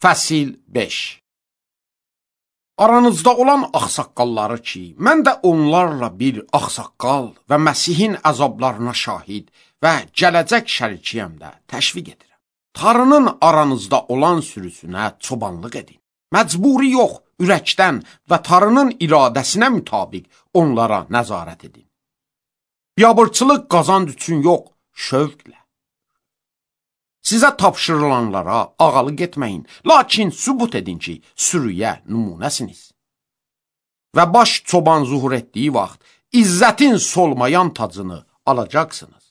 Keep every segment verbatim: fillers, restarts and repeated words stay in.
Fəsil beş. Aranızda olan ağsaqqalları ki, mən də onlarla bir ağsaqqal və Məsihin əzablarına şahid və gələcək şərikiyəm də təşviq edirəm. Tarının aranızda olan sürüsünə çobanlıq edin. Məcburi yox, ürəkdən və tarının iradəsinə mütabiq onlara nəzarət edin. Biabırçılıq qazanc üçün yox, şövqlə. Sizə tapşırılanlara ağalıq etməyin, lakin sübut edin ki, sürüyə nümunəsiniz. Və baş çoban zuhur etdiyi vaxt, izzətin solmayan tacını alacaqsınız.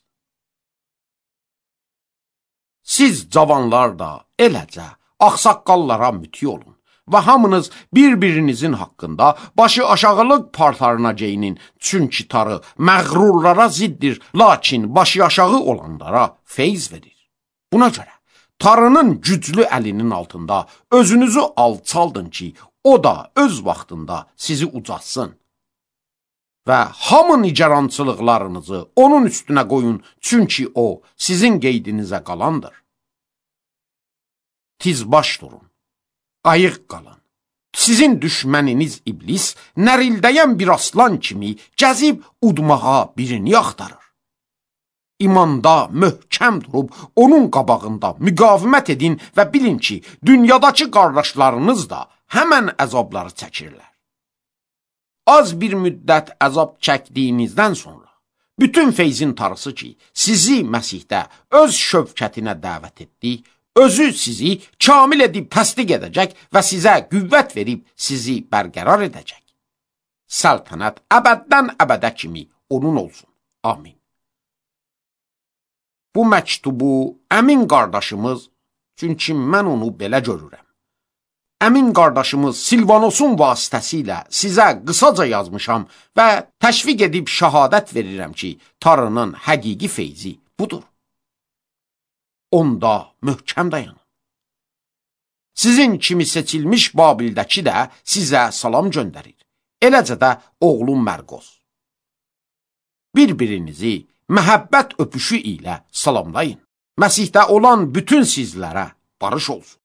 Siz cavanlar da eləcə ağsaqqallara müti olun və hamınız bir-birinizin haqqında başı aşağılıq partarına geyinin, çünki tarı məğrurlara ziddir, lakin başı aşağı olanlara feyz verir. Buna görə tarının güclü əlinin altında özünüzü alçaldın ki, o da öz vaxtında sizi ucatsın. Və hamı nigarançılıqlarınızı onun üstünə qoyun, çünki o sizin qeydinizə qalandır. Tizbaş durun, ayıq qalın. Sizin düşməniniz iblis nərildəyən bir aslan kimi gəzib udmağa birini axtarır. İmanda möhkəm durub, onun qabağında müqavimət edin və bilin ki, dünyadakı qardaşlarınız da həmən əzabları çəkirlər. Az bir müddət əzab çəkdiyinizdən sonra, bütün feyzin tarısı ki, sizi Məsihdə öz şövkətinə dəvət etdi, özü sizi kamil edib təsdiq edəcək və sizə qüvvət verib sizi bərqərar edəcək. Səltənət əbəddən əbədə kimi onun olsun. Amin. Bu məktubu əmin qardaşımız, çünki mən onu belə görürəm, əmin qardaşımız Silvanosun vasitəsilə sizə qısaca yazmışam və təşviq edib şəhadət verirəm ki, tarının həqiqi feyzi budur. Onda möhkəm dayanın. Sizin kimi seçilmiş Babildəki də sizə salam göndərir. Eləcə də oğlum Mərqos. Bir-birinizi məhəbbət öpüşü ilə salamlayın. Məsihdə olan bütün sizlərə barış olsun.